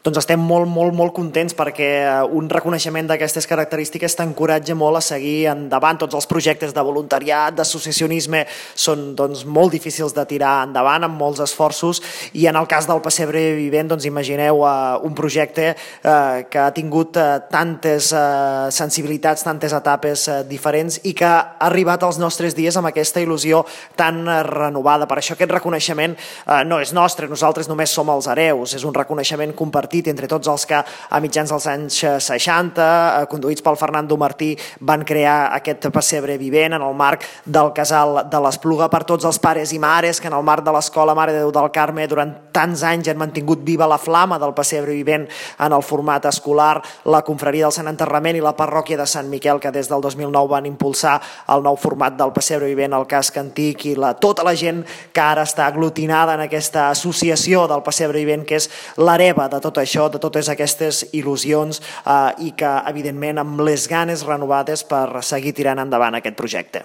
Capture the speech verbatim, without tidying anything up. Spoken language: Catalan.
Doncs estem molt, molt, molt contents perquè un reconeixement d'aquestes característiques t'encoratja molt a seguir endavant. Tots els projectes de voluntariat, d'associacionisme, són doncs, molt difícils de tirar endavant, amb molts esforços, i en el cas del Pessebre Vivent, doncs, imagineu uh, un projecte uh, que ha tingut uh, tantes uh, sensibilitats, tantes etapes uh, diferents i que ha arribat als nostres dies amb aquesta il·lusió tan uh, renovada. Per això aquest reconeixement uh, no és nostre, nosaltres només som els hereus, és un reconeixement compartit entre tots els que a mitjans dels anys seixanta, conduïts pel Fernando Martí, van crear aquest Pessebre Vivent en el marc del Casal de l'Espluga, per tots els pares i mares que en el marc de l'Escola Mare de Déu del Carme durant tants anys han mantingut viva la flama del Pessebre Vivent en el format escolar, la Confraria del Sant Enterrament i la Parròquia de Sant Miquel, que des del dos mil nou van impulsar el nou format del Pessebre Vivent al casc antic, i la, tota la gent que ara està aglutinada en aquesta associació del Pessebre Vivent, que és l'hereva de tot això, de totes aquestes il·lusions eh, i que, evidentment, amb les ganes renovades per seguir tirant endavant aquest projecte.